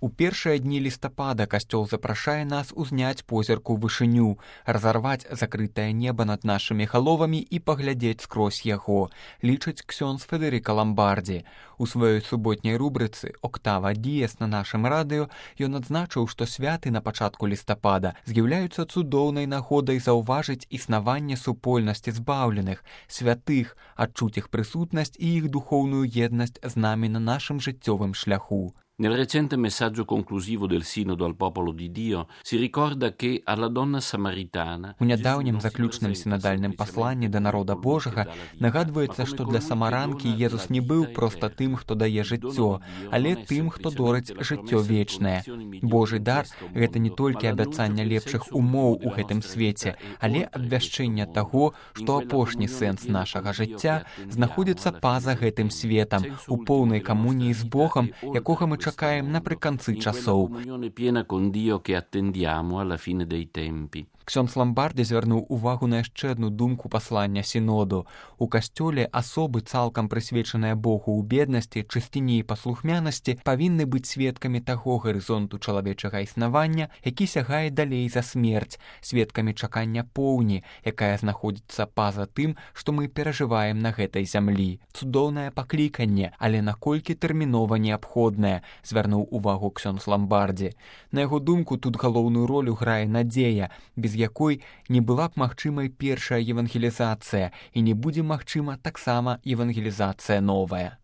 У першыя дні лістапада касцёл запрашае нас узняць позірк у вышыню, разарваць закрытае неба над нашымі галовамі і паглядзець скрозь яго, лічыць ксёндз Федэрыка Ламбардзі. У сваёй суботняй рубрыцы «Октава Діес» на нашым радыё ён адзначыў, што святы на пачатку лістапада з'яўляюцца цудоўнай нагодай заўважыць існаванне супольнасці збаўленых, святых, адчуць іх прысутнасць і іх духоўную еднасць з намі на нашым жыццёвым шляху. Nel recente messaggio conclusivo del Sinodo al popolo di Dio si ricorda che alla donna samaritana... У нядаўнім заключным сінадальным пасланні да народа Божага нагадваецца, што для самаранкі Езус не быў проста тым, хто дае жыццё, але тым, хто дорыць жыццё вечнае. Божы дар – гэта не толькі абяцанне лепшых умоў у гэтым свеце, але абвяшчэнне таго, што апошні сэнс нашага жыцця знаходзіцца па-за гэтым светам, у поўнай камуніі з Богам, якога мы чакаем напрыканцы часоў. Ксёндз Ламбардзі звярнуў увагу на яшчэ адну думку паслання сіноду. У касцёле асобы, цалкам прысвечаныя Богу ў беднасці, чысціні і паслухмянасці, павінны быць сведкамі таго гарызонту чалавечага існавання, які сягае далей за смерць, сведкамі чакання поўні, якая знаходзіцца па-за тым, што мы перажываем на гэтай зямлі. Цудоўнае пакліканне, але наколькі тэрмінова неабходнае, звярнуў увагу ксёндз Ламбардзі. На яго думку, тут галоўную ролю грае надзея, без якой не была б магчымай першая евангелізацыя і не будзе магчыма таксама евангелізацыя новая.